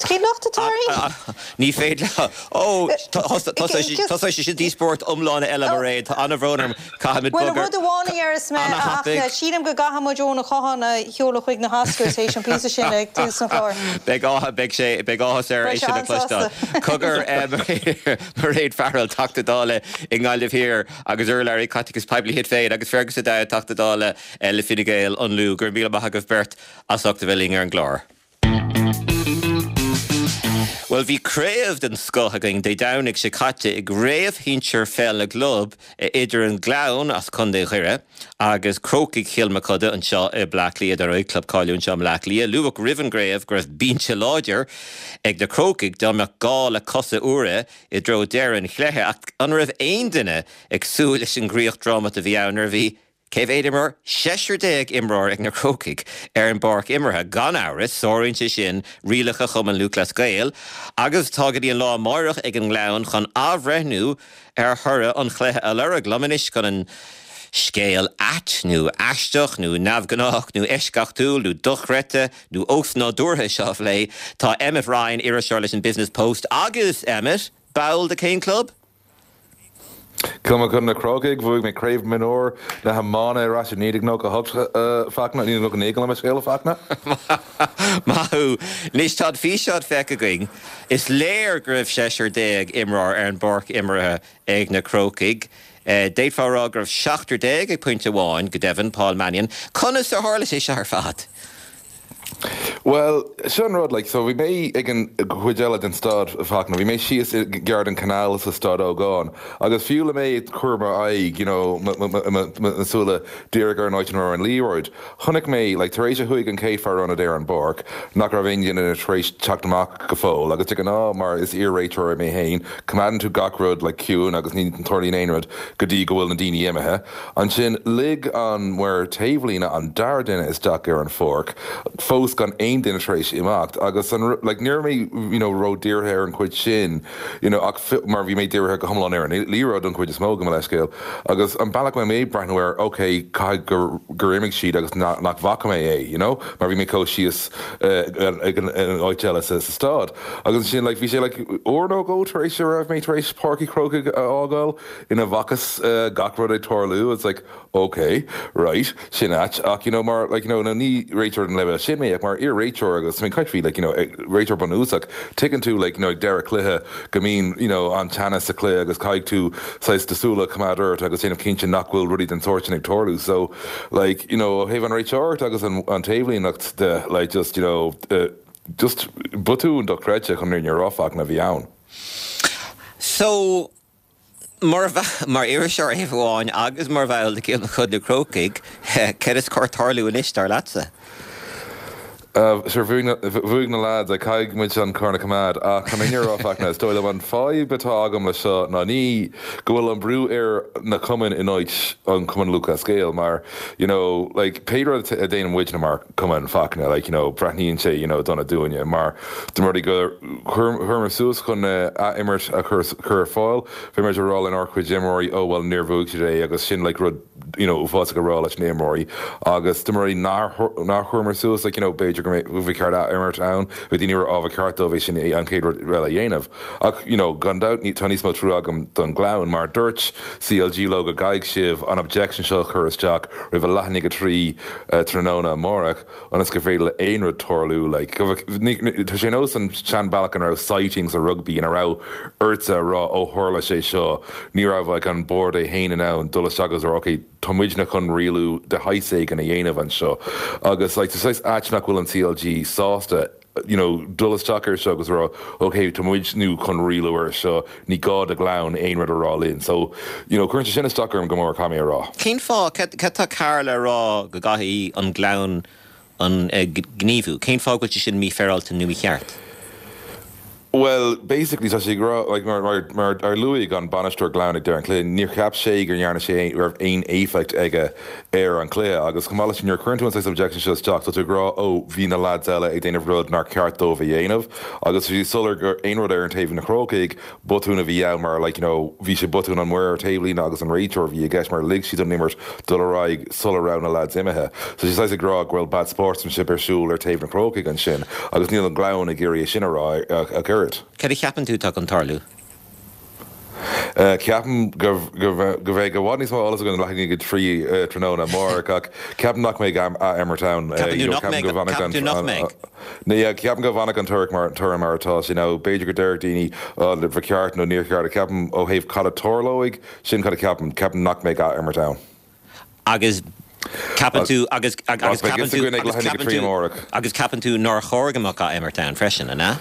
Cén locht atá orainn? Ní féidir Ó, tosóidh sé sin díospóireacht iomlán eile, Mairéad. Tá an-bhrón orm. Caithfimid bogadh. Bhuel, rud amháin a déarfas mé, a Fhachtna, sílim go gcaithfidh muid Eoin Ó Catháin a sheoladh chuig na hOscars théis an píosa sin ag tús an chláir. Beidh áthas, beidh sé, beidh áthas air é sin a chloisteáil. Cogar, Mairéad Farrell, Teachta Dála i nGaillimh Thiar agus urlabhraí caiteachais poiblí Shinn Féin, agus Fergus O'Dowd, Teachta Dála le Fine Gael, An Lú. Go raibh míle maith agaibh beirt as ucht a bheith linn ar an gclár. Bhuel, bhí craobh den scoth againn Dé Domhnaigh seo caite i gCraobh Shinsir Pheil na gClub idir an Gleann as Contae Dhoire agus Crócaigh Chill Mochuda anseo i mBleá Cliath, dar ndóigh, club cáiliúil anseo i mBleá Cliath. Luadh roimh an gcraobh go raibh binse láidir ag na Crócaigh dá mbeadh gá le cosa úra i dtreo deireadh an chluiche ach an raibh aon duine ag súil leis an gcríoch drámata a bhí ann nuair a bhí Cé mhéad imreoir? Seisear déag imreoir ag na Crócaigh ar an bpáirc imeartha. Gan amhras, sáraíonn sé sin rialacha Chumann Lúthchleas Gael agus tá go dtí an lá amáireach ag an nGleann chun athbhreithniú ar thoradh an chluiche a lorg. Liom anois chun an scéal ait nó aisteach nó neamhghnách nó eisceachtúil nó dochreidte nó osnádúrtha seo a phlé, tá Emmet Ryan, iriseoir leis an Business Post agus, Emmet, ball de cén club? Cill Mochuda na Crócaigh, bhuaigh mé craobh mionúr na hiomána ar ais i 1998 a Fachtna, 1999 gabh mo leithscéal a Fachtna. Maith thú. Anois tá an físeán feicthe againn. Is léir go raibh seisear déag imreoir ar an bpáirc imeartha ag na Crócaigh. D'fhéadfá a rá go raibh 17 ag pointe amháin, go deimhin, Paul Mannion. Conas ar tharla sé seo ar fad? Bhuel, seo an rud, like, so bhí mé ag an chuid eile den staid, Fachtna, bhí mé síos i gar don canal sa Staid Ógáin agus fiú le mé ag cur m'aghaidh, you know, mo súile díreach ar an áit ina raibh an liathróid, chonaic mé, like, tar éis a chuaigh an chéad fear ionaid ar an bpáirc, nach raibh aon duine tar éis teacht amach go fóill agus de ghnáth, mar is iar-réiteoir mé féin, coimeádann tú gach rud, like, ciúin agus ní tarlaíonn aon rud go dtí go bhfuil na daoine imithe. Ansin lig an maor taobhlíne an dara duine isteach ar an pháirc, fós gan aon duine tar éis imeacht, agus an like ní raibh mé you know ró-dírithe ar an chuid sin you know ach mar bhí mé dírithe go hiomlán ar an liathróid don chuid is mó, gabh mo leithscéal. Agus an bealach a raibh mé ag breathnú air, ok, caithfidh gur gur imigh siad agus nach bhfaca mé é you know mar bhí mé chomh síos ag an áit eile sa staid. Agus ansin like bhí sé like uair nó dhó tar éis a raibh mé tar éis Páirc Uí Chrócaigh a fhágáil, ina bhfacthas gach rud ag tarlú, it's like ok, right, sin ait, ach you know mar like you know nó ní réiteoir den leibhéal sin mé ach mar iar-réiteoir agus I mean caithfidh like you know réiteoir bunúsach, tuigeann tú like you know ag deireadh cluiche go mbíonn you know an-teannas sa chluiche agus caithfidh tú saghas do súile a choimeád ort agus déanamh cinnte nach bhfuil rudaí den sórt sin ag tarlú so like you know ó thaobh an réiteoireacht agus an an taobhlíneacht de like just you know just botún dochreidte chun an fhírinne a rá Fachtna a bhí ann. So Mar mar iriseoir ar thaobh amháin agus mar bhall de Chill Mochuda Na Crócaigh, céard is cóir tarlú anois, dar leatsa? Sure, bhuaigh na lads, like, caithfidh muid an corn a choimeád. Ach chun an fhírinne a rá, Fachtna, is dóigh liom an fadhb atá agam le seo ná ní go bhfuil an brú ar na cumainn in áit an Cumann Lúthchleas Gael mar, you know, like, pé rud a déanann muidne mar chumann, Fachtna, like, you know, breathnaíonn sé, you know, dona dúinne mar dá mba rud é gur chuireamar suas chun ath-imirt a chur chur ar fáil, bhí muid ag rá lenár chuid imreoirí, oh well níor bhuaigh siad é agus sin like rud, you know, uafásach a rá leis na imreoirí agus dá mba rud é nár nár chuireamar suas, like, you know, b'fhéidir go mbeadh ba cheart ath-imirt ann, bhí daoine ag rá oh ba cheart dóibh é sin an chéad rud eile a dhéanamh. Ach, you know, gan dabht tá níos mó trua agam don Ghleann mar dúirt CLG leo go gcaithfidh sibh an objection seo a chur isteach roimh a leath i ndiaidh a 3 tráthnóna amárach ionas gur féidir le aon rud tarlú. Like, tá sé nós an seanbhealach ina raibh sightings sa rugbaí ina raibh ortsa a rá ó tharla sé seo, ní raibh like an bord é féin in ann dul isteach agus a rá ok, tá muidne chun rialú de shaghas éigin a dhéanamh anseo. Agus like tá saghas ait nach bhfuil an CLG sásta you know, dul isteach ar seo agus rá, ok, tá muid nó chun rialú ar seo, ní gá do Ghleann aon rud a rá linn. So, you know, cuireann sé sin isteach orm go mór, caithfidh mé a rá. Cén fáth, cad tá Karl a rá go gcaithfidh an Gleann an gníomhú? Cén fáth go bhfuil sé sin mífhéaráilte nó mícheart? Bhuel, basically tá sé ag rá, like, mar, mar, mar ar luaigh an bainisteoir Gleann ag deireadh an chluiche, níor cheap sé go ndearna sé aon, raibh aon éifeacht aige ar an chluiche agus chomh maith leis sin nuair a chuireann tú an saghas objection seo isteach tá tú ag rá oh bhí na lads eile ag déanamh rud nár cheart dóibh a dhéanamh agus bhí soiléir gur aon rud ar an taobh na Crócaigh botún a bhí ann mar like you know bhí sé botún an maor taobhlíne agus an réiteoir a bhí i gceist mar lig siad an imirt dul ar aghaidh sula raibh na lads imithe. So tá sé saghas ag rá go bhfuil bad sportsmanship ar siúl ar taobh na Crócaigh ansin agus níl an Gleann ag iarraidh é sin a rá ach oiread. Cad a cheapann tú atá chun tarlú? Ceapaim go mbeidh i bhfad níos mó eolas againn leath i ndiaidh a 3 tráthnóna amárach ach ceapaim nach mbeidh ath-imirt ann. Ceapann tú nach mbeidh? Ceapann tú nach mbeidh? Ceapaim go bhfanfaidh an toradh mar toradh mar atá sé nó b'fhéidir go déarfadh daoine ba cheart nó níor cheart ach ceapaim ó thaobh cad a tarlóidh, sin cad a cheapaim, ceapaim nach mbeidh ath-imirt ann. Agus ceapann tú, agus, agus ceapann tú, agus ceapann tú, agus ceapann tú nár chóir go mbeadh ath-imirt ann freisin, an ea?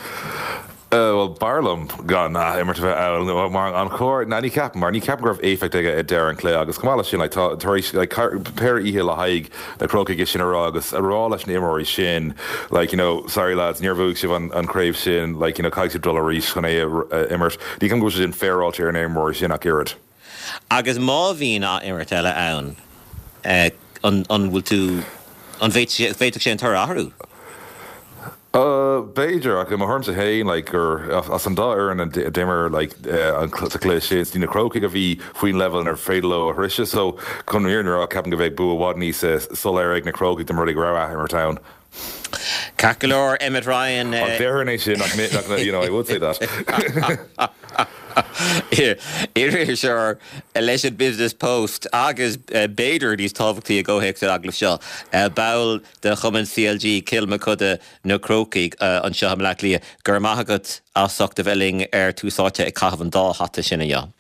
Bhuel, b'fhearr liom gan ath-imirt a bheith ann, mar an chóir, ná ní cheapaim, mar ní cheapaim go raibh éifeacht aige ag deireadh an chluiche agus chomh maith leis sin, like, tá, tar éis, like, péire oíche le haghaidh na Crócaigh é sin a rá agus a rá leis na imreoirí sin, like, you know, sorry lads, níor bhuaigh sibh an, an chraobh sin, like, you know, caithfidh sibh dul arís chun é a imirt. Ní cheapaim go bhfuil sé sin féaráilte ar na imreoirí sin ach oiread. Agus má bhíonn ath-imirt eile ann, an bhfuil tú, an bhféadfadh sé an toradh a athrú? B'fhéidir, ach i mo thuairimse féin, like, gur as an dá fhoireann a d'imir, like, sa chluiche sin, is iad na Crócaigh a bhí faoin leibhéal inar féidir leo a shroicheadh. So, chun an fhírinne a rá, ceapaim go mbeadh bua i bhfad níos soiléire ag na Crócaigh dá mba rud é go raibh ath-imirt ann. Ceart go leor, Emmet Ryan. Ach déarfainn é sin, nach, you know, I would say that. Iriseoir leis an Business Post agus b'fhéidir níos tábhachtaí i gcomhthéacs an agallaimh seo, ball de chumann CLG Cill Mochuda Na Crócaigh anseo i mBleá Cliath. Go raibh maith agat as ucht a bheith linn ar Tús Áite ag caitheamh an dá hata sin inniu.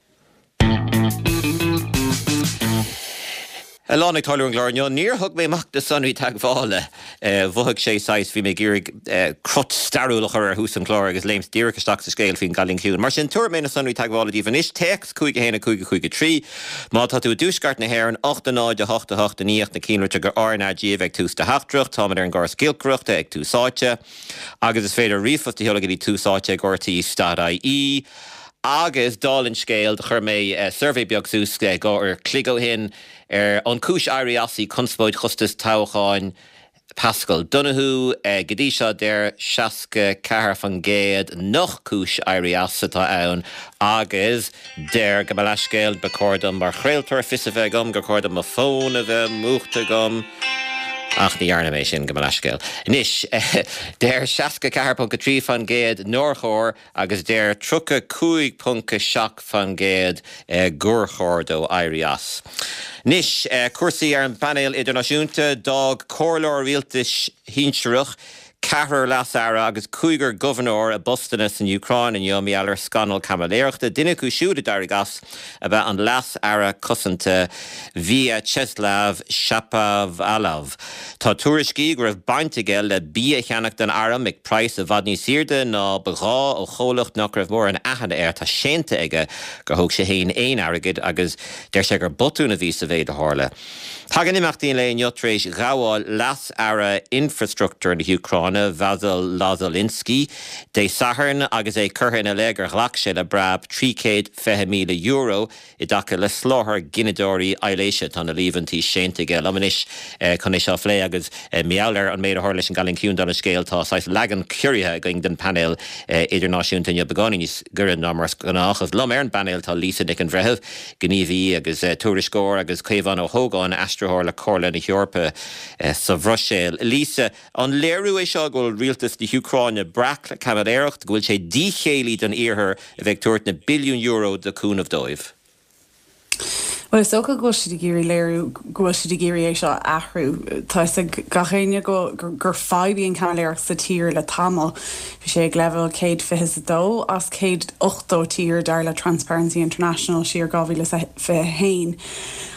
A lán ag tarlú ar an gclár inniu. Níor thug mé amach na sonraí teagmhála. Mhothaigh sé saghas, bhí mé ag iarraidh crot stairiúil a chur ar thús an chláir agus léimt díreach isteach sa scéal faoin gCailín Ciúin. Mar sin, tabharfaidh mé na sonraí teagmhála daoibh anois, téacs 5 1 5 5 3. Má tá tú i dtuaisceart na hÉireann, 8 0 8 8 i ndiaidh na cinnlitreacha RnaG a bheith ag tús do theachtaireacht. Táimid ar an gcóras giolcaireachta ag Tús Áite. Agus is féidir ríomhphost a sheoladh go dtí Tús Áite ag rte.ie. Agus dála an scéil, do chuir mé suirbhé beag suas 2 uair a chloig ó shin ar an cúis éirí as í conspóid chostas toghcháin Paschal Donohoe. Go dtí seo deir 64% nach cúis éirí as atá ann agus deir, gabh mo leithscéal, ba chóir dom mar chraoltóir fios a bheith agam gur chóir dom mo fón a bheith múchta agam ach ní dhearna mé sin, gabh mo leithscéal. Anois, deir 64.3% nár chóir agus deir 35.7% gur chóir dó éirí as. Anois, cúrsaí ar an bpainéal idirnáisiúnta, d'fhág comhairleoir rialtais shinsearach, ceathrar leas-aire agus cúigear gobharnóir a bpostanna san Úcráin inniu mar gheall ar scannal caimiléireachta. Duine acu siúd a d'éirigh as ab ea an leas-aire cosanta Vyacheslav Shapovalov. Tá tuairiscí go raibh baint aige le bia a cheannach don arm ag praghas i bhfad níos airde ná ba ghá ó chomhlacht nach raibh mórán aithne air. Tá séanta aige gur thóg sé féin aon airgead agus deir sé gur botún a bhí sa mhéid a tharla. Tagann imeachtaí an lae inniu tar éis ghabháil Leas-Aire Infreastruchtúir na hÚcráine, Vasyl Lozolynskyi, Dé Sathairn agus é curtha ina leith gur ghlac sé le breab €320,000 I dtaca le soláthar gineadóirí aibhléise, tá na líomhaintí séanta aige. Liom anois chun é seo a phlé agus mar gheall ar an méid a tharla leis an gCailín Ciúin dála an scéil, tá saghas leagan ciorraithe againn den phainéal idirnáisiúnta inniu, beagáinín níos gaire ná mar is gnách. Agus liom ar an bpainéal tá Lisa Nic an Bhreithimh, gníomhaí agus tuairisceoir, agus Caomhán Ó hÓgáin, aistritheoir le Comhairle na hEorpa sa Bhruiséil. Lisa. An léiriú é seo go bhfuil rialtas na hÚcráine breac le caimiléireacht, go bhfuil sé díchéillí don Iarthar a bheith ag tabhairt na billiúin euro de chúnamh dóibh? Bhuel, is dócha go bhfuil siad ag iarraidh léiriú go bhfuil siad ag iarraidh é seo a athrú. Tá fhios ag gach éinne go gur fadhb í an chaimiléireacht sa tír le tamall. Bhí sé ag leibhéal 122 as 180 tír dar le Transparency International siar 2021.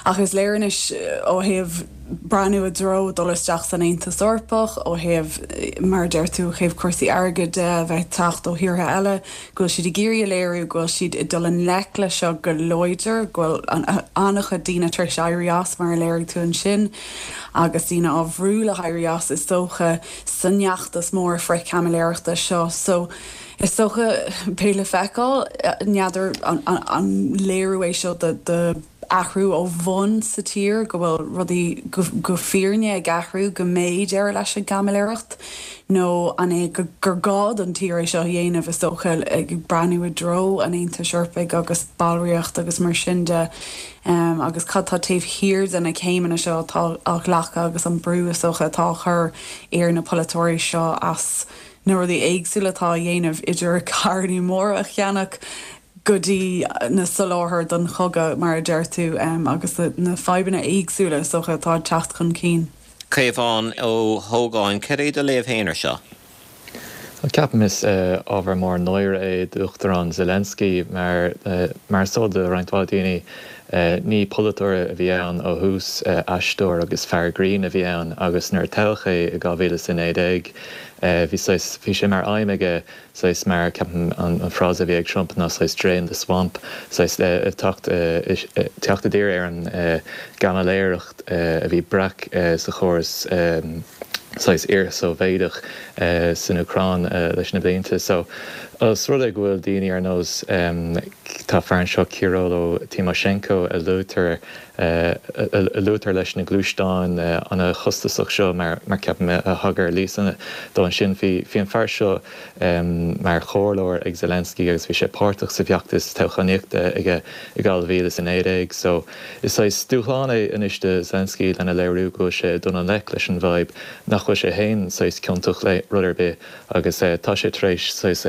Ach is léir anois ó thaobh breathnú i dtreo dul isteach san Aontas Eorpach, ó thaobh, mar a deir tú, ó thaobh cúrsaí airgid de, a bheith ag teacht ó thíortha eile, go bhfuil siad ag iarraidh a léiriú go bhfuil siad ag dul i ngleic leis seo go láidir, go bhfuil an-chuid daoine tar éis éirí as, mar a léirigh tú ansin, agus daoine á bhrú le héirí as, is dócha, san fheachtas mór frith-chaimiléireachta seo. So, is dócha, beidh le feiceáil, n'fheadar an léiriú é seo do. athrú ó bhun sa tír, go bhfuil rudaí go fírinne ag athrú, go mbeidh deireadh leis an gcaimiléireacht, nó an é gur gá don tír é seo a dhéanamh, is dócha, ag breathnú i dtreo an Aontais Eorpaigh agus ballraíocht agus mar sin de, agus cad tá taobh thiar de na céimeanna seo atá á ghlacadh agus an brú, is dócha, atá á chur ar na polaiteoirí seo as na rudaí éagsúla atá á dhéanamh, idir carrannaí móra a cheannach, go dtí na soláthair don chogadh, mar a deir tú, agus na fadhbanna éagsúla, is dócha, atá ag teacht chun cinn. Caomhán Ó hÓgáin, Cad é do léamh féin ar seo? Ceapaim is ábhar mór náire é d'Uachtarán Zelensky mar, mar is eol do roinnt mhaith daoine, ní polaiteoir a bhí ann ó thús, aisteoir agus fear grinn a bhí ann agus nuair a toghadh é i 2019 bhí saghas, bhí sé mar aidhm aige saghas mar, ceapaim an frása a bhí ag Trump ná saghas drain the swamp, saghas teacht, teacht i dtír ar an gcaimiléireacht a bhí breac sa chóras saghas iar-Sóivéadach san Úcráin leis na blianta. So, os rud é go bhfuil daoine ar nós, tá fear anseo Kyrylo Tymoshenko a luaitear, a luaitear leis na gluaisteáin an-chostasach seo mar ceapaim a thagair Lisa dó ansin. Bhí an fear seo mar chomhairleoir ag Zelensky agus bhí sé páirteach sa bhfeachtas toghchánaíochta aige i 2019. So is saghas dúshlán é anois do Zelensky lena léiriú go bhfuil sé ag dul i ngleic leis an bhfadhb, nach bhfuil sé féin saghas ciontach le rud ar bith agus tá sé tar éis saghas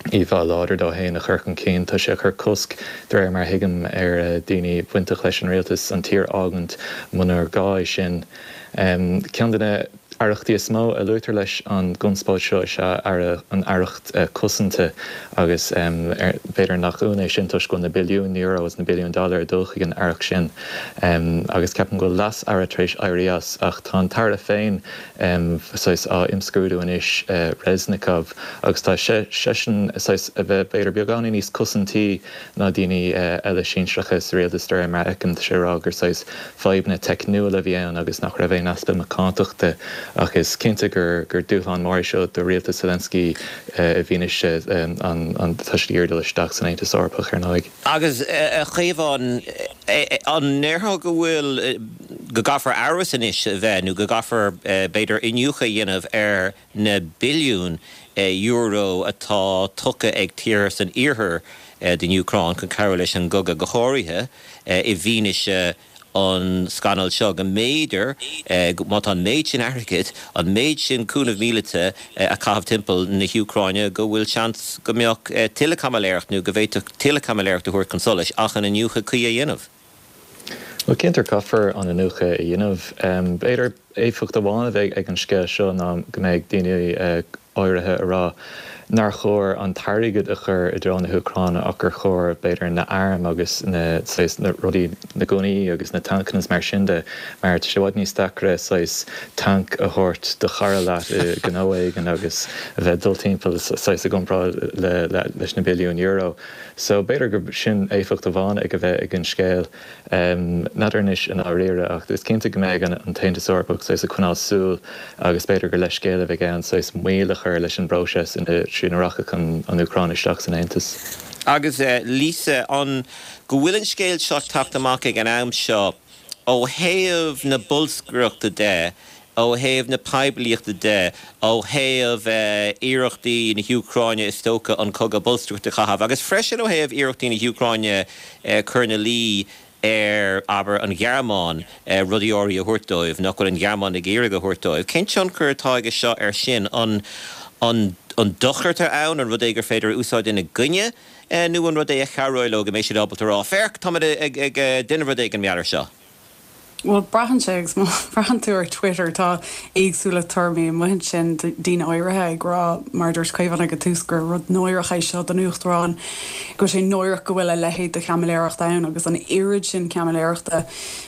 íomhá láidir dó féin a chur chun cinn. Tá sé ag cur cosc, de réir mar a thuigim, ar dhaoine bainteach leis an rialtas an tír a fhágaint munar gá é sin. Ceann de na. Aireachtaí is mó a luaitear leis an gconspóid seo is ea an aireacht cosanta agus b'fhéidir nach ionadh é sin toisc go bhfuil na billiúin euro agus na billiúin dollar ag dul chuig an aireacht sin agus ceapaim go bhfuil leas-aire tar éis éirí as ach tá an t-aire féin saghas á imscrúdú anois, Reznikov, agus tá seisean saghas a bheith b'fhéidir beagáinín níos cosantaí ná daoine eile sinsearacha sa rialtas de réir mar a fheicim. Tá sé ag rá gur saghas fadhbanna teicniúla a bhí ann agus nach raibh aon easpa macántachta ach is cinnte gur gur dúshlán mór é seo do rialtas Zelensky i bhfianaise an tá siad ag iarraidh dul isteach san Aontas Eorpach ar ndóigh. Agus a Chaomháin, an ndéarfá go bhfuil, go gcaithfear amhras anois a bheith nó go gcaithfear b'fhéidir iniúchadh a dhéanamh ar na billiúin euro atá tugtha ag tíortha san iarthar don Úcráin chun cabhrú leis an gcogadh, go háirithe i bhfianaise an scannail seo, go mb'fhéidir, má tá an méid sin airgid, an méid sin cúnamh míleata á chaitheamh timpeall na hÚcráine, go bhfuil seans go mbeadh tuilleadh caimiléireacht nó go bhféadfadh tuilleadh caimiléireacht a thabhairt chun solais ach an iniúchadh cuí a dhéanamh. Bhuel, cinnte caithfear an iniúchadh a dhéanamh. B'fhéidir éifeacht amháin a bheidh ag an scéal seo ná go mbeidh daoine áirithe ag rá nár chóir an t-airgead a chur i dtreo na hÚcráine ach gur chóir, b'fhéidir, na hairm agus na, saghas, na rudaí, na gunnaí agus na tancanna is mar sin de mar tá sé i bhfad níos deacra saghas tanc a thabhairt do chara leat i ngnó éigin agus a bheith ag dul timpeall saghas i gcomparáid le, leis na billiúin euro. So, b'fhéidir gur sin éifeacht amháin ag a bheith ag an scéal. N'fheadar anois i ndáiríre, ach is cinnte go mbeidh an tAontas Eorpach saghas ag coinneáil súil agus b'fhéidir gur leithscéal a bheidh ann saghas moill a chur leis an bpróiseas trína rachadh an Úcráin isteach san Aontas. Agus Lisa, an go bhfuil an scéal seo ag teacht amach ag an am seo, ó thaobh na bolscaireachta de, ó thaobh na poiblíochta de, ó thaobh iarrachtaí na hÚcráine is dócha an cogadh bolscaireachta a chaitheamh, agus freisin ó thaobh iarrachtaí na hÚcráine cur ina luí ar, abair, an Ghearmáin rudaí áirithe a thabhairt dóibh nach bhfuil an Ghearmáin ag iarraidh a thabhairt dóibh. Cén tionchar atá aige seo air sin? An dochar atá ann? An rud é gur féidir a úsáid ina gcoinne? Nó an rud é a chabhróidh leo go mbeidh siad ábalta a rá, 'Féach, táimid ag déanamh rud éigin mar gheall air seo'? Bhuel, braitheann sé, agus má bhraitheann tú ar Twitter, tá éagsúlacht tuairimí amuigh ansin, daoine áirithe ag rá, mar a dúirt Caomhán ag an tús, gur rud náireach é seo don Uachtarán, go bhfuil sé náireach go bhfuil a leithéid de chaimiléireacht ann agus an oiread sin caimiléireachta.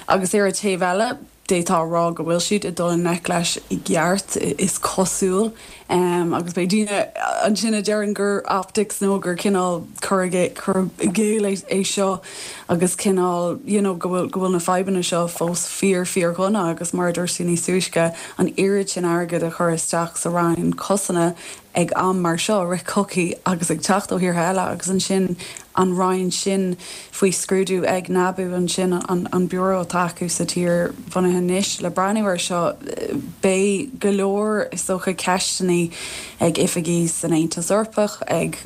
Agus ar an taobh eile, d'fhéadfá a rá go bhfuil siad ag dul i ngleic leis i gceart, is cosúil. Agus beidh daoine ansin a deireann gur optics nó gur cineál cur i gcéill é seo agus cineál you know go bhfuil go bhfuil na fadhbanna seo fós fíor fíor-dhona agus mar a dúirt tú níos túisce, an oiread sin airgid a chur isteach sa Roinn Cosanta ag am mar seo, rith cogaidh agus ag teacht ó thíortha eile agus ansin an roinn sin faoi scrúdú ag NABU ansin, an biúró atá acu sa tír bunaithe anois le breathnú air seo. Beidh go leor, is dócha, ceisteanna ag oifigigh san Aontas Eorpach, ag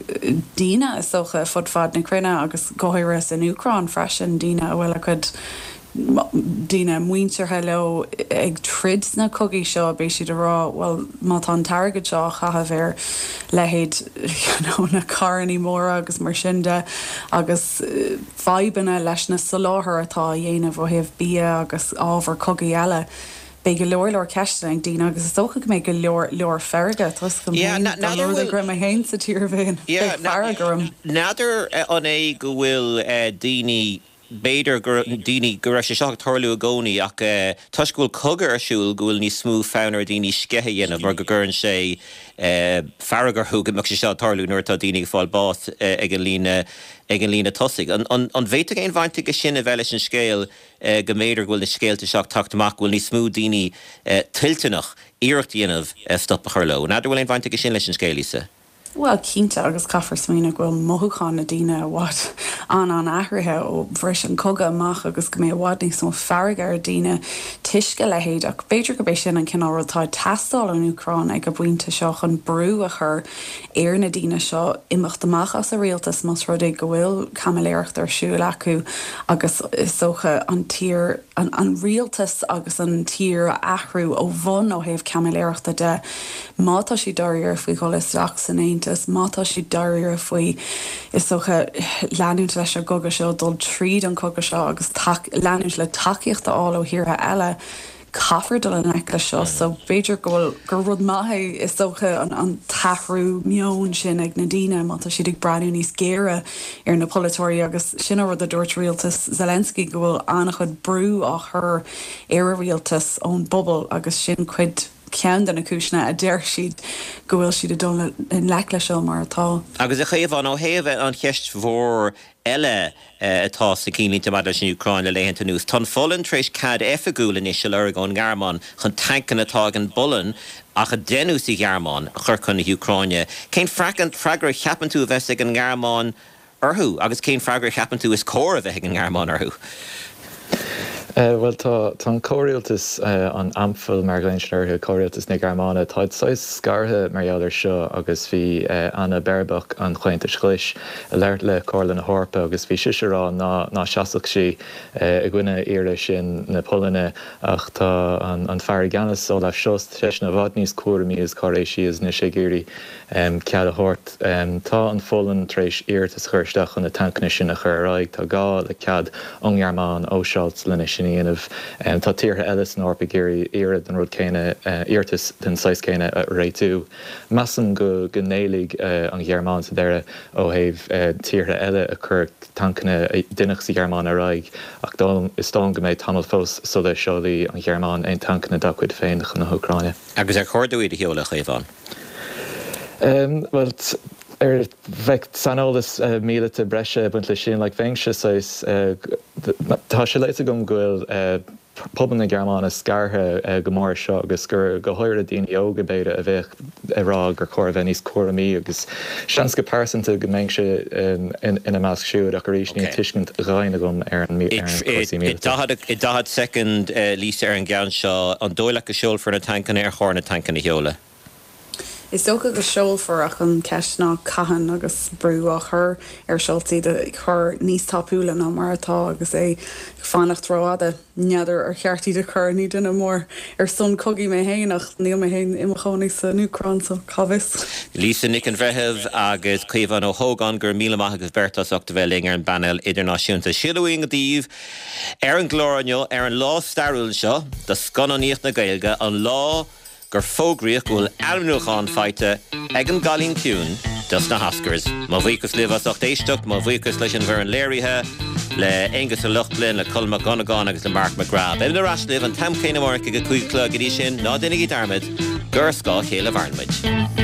daoine, is dócha, fud fad na cruinne agus go háirithe san Úcráin freisin, daoine a bhfuil a gcuid daoine muinteartha leo ag troid sna cogaí seo, beidh siad ag rá, bhuel, má tá an t-airgead seo á chaitheamh ar leithéid you know na carrannaí móra agus mar sin de agus fadhbanna leis na soláthair atá á dhéanamh ó thaobh bia agus ábhar cogaidh eile, beidh go leor leor ceisteanna ag daoine agus is dócha go mbeidh go leor leor feirge, tá 'fhios agam féin, dá mba rud é go raibh mé féin sa tír féin, bheadh fearg orm. N'fheadar an é go bhfuil daoine B'fhéidir gur daoine, go raibh sé seo ag tarlú i gcónaí ach toisc go bhfuil cogadh ar siúl go bhfuil níos mó fonn ar dhaoine sceitheadh a dhéanamh mar go gcuireann sé fearg orthu go mbeadh sé seo ag tarlú nuair atá daoine ag fáil bás ag an líne ag an líne tosaigh. An an bhféadfadh aon bhaint aige sin a bheith leis an scéal go mb'fhéidir go bhfuil na scéalta seo ag teacht amach go bhfuil níos mó daoine toilteanach iarracht a dhéanamh stop a chur leo? N'fheadar an bhfuil aon bhaint aige sin leis an scéal, Lisa? Bhuel, cinnte, agus caithfear smaoineamh go bhfuil mothúcháin na daoine i bhfad an-an-athraithe ó bhris an cogadh amach agus go mbeidh i bhfad níos mó fearg ar daoine toisc a leithéid. Ach b'fhéidir gurb é sin an cineál rud atá ag teastáil ón Úcráin ag an bpointe seo chun brú a chur ar na daoine seo imeacht amach as an rialtas más rud é go bhfuil caimiléireacht ar siúl acu agus is dócha an tír, an rialtas agus an tír a athrú ó bhun ó thaobh caimiléireachta de. Má tá siad dáiríre faoi dhul isteach san Aontas, má tá siad dáiríre faoi, is dócha, leanúint leis an gcogadh seo, dul tríd an cogadh seo agus leanúint le tacaíocht a fháil ó thíortha eile, Caithfear dul i ngleic leis seo so b'fhéidir go bhfuil, gur rud maith é is dócha an an t-athrú meoin sin ag na daoine má tá siad ag breathnú níos géire ar na polaiteoirí agus sin an rud a dúirt rialtas Zelensky go bhfuil an-chuid brú á chur ar a rialtas ón bpobal agus sin cuid, ceann de na cúiseanna a deir siad go bhfuil siad ag dul i ngleic leis seo mar atá. Agus a Chaomháin, ó thaobh an cheist mhór eile atá sna cinnlínte maidir leis an Úcráin le laethanta anuas, tá an Pholainn tar éis cead oifigiúil anois a lorg ón nGearmáin chun tancanna atá ag an bPolainn ach a deineadh sa Ghearmáin a chur chun na hÚcráine. Cén freagra a cheapann tú a bheas ag an nGearmáin orthu agus cén freagra a cheapann tú is cóir a bheith ag an nGearmáin orthu? Bhuel, tá, tá an comhrialtas, an Ampel mar a ghlaonn siad orthu, comhrialtas na Gearmáine, táid saghas scartha mar gheall air seo agus bhí Anna Baerbock an Chomhaontais Ghlais ag labhairt le Comhairle na hEorpa agus bhí sise ag rá ná, ná seasfadh sí i gcoinne iarraidh sin na Polainne ach tá an, an fear i gceannas, Olaf Scholz, seisean i bhfad níos cúramaí agus cáiréisí agus anois ag iarraidh cead a thabhairt. Tá an Pholainn tar éis iarratas a chur isteach chun na tancanna sin a chur ar aghaidh. Tá gá le cead ón nGearmáin, ó Scholz, lena sin a dhéanamh. Tá tíortha eile san Eoraip ag iarraidh iarraidh den rud céanna, iarratas den saghas céanna a réitiú. Measaim go ngéillfidh an Ghearmáin sa deireadh ó thaobh tíortha eile a chuir tancanna a deineadh sa Ghearmáin ar aghaidh ach is dóigh liom go mbeidh tamall fós sula seolfaidh an Ghearmáin aon tancanna dá cuid féin chun na hÚcráine. Agus ar chóir dóibh iad a sheoladh, a Chaomháin? Bhuel, ar bheadh saineolas míleata breise ag baint leis sin, like, bheinnse saghas, tá sé léite agam go bhfuil pobal na Gearmáine scartha go mór ar seo agus gur go háirithe daoine óga, b'fhéidir, a bheadh ag rá gur chóir a bheith níos cúramaí agus seans go pearsanta go mbeinnse ina measc siúd ach arís níl tuiscint dhoimhin agam ar an cúrsaí míleata. I 40 soicind, Lisa, ar an gceann seo, an dóigh leat go seolfar na tancanna, ar chóir na tancanna a sheoladh? Is dócha go seolfar ach an cheist ná cathain agus brú á chur ar Scholz iad a chur níos tapúla ná mar atá agus é ag fanacht rófhada. N'fheadar ar cheart iad a chur, ní duine mór ar son cogaidh mé féin ach níl mé féin i mo chónaí san Úcráin so cá bhfios. Lisa Nic an Bhreithimh agus Caomhán Ó hÓgáin, go raibh míle maith agaibh beirt as ucht a bheith linn ar an bpainéal idirnáisiúnta. Sin a bhfuil uainn daoibh ar an gclár inniu, ar an lá stairiúil seo do scannánaíocht na Gaeilge, an lá gur fógraíodh go bhfuil ainmniúchán faighte ag An gCailín Ciúin dos na hOscars. Mo bhuíochas libh as ucht éisteacht, mo bhuíochas leis an bhfoireann léirithe, le Aonghus Ó Lochlainn, le Colm Mac Dhonnagáin agus le Mark McGrath. Beimid ar ais libh an t-am céanna amárach ag a 5 a chlog. Go dtí sin, ná déanaigí dearmad gur ar scáth a chéile a mhaireann muid.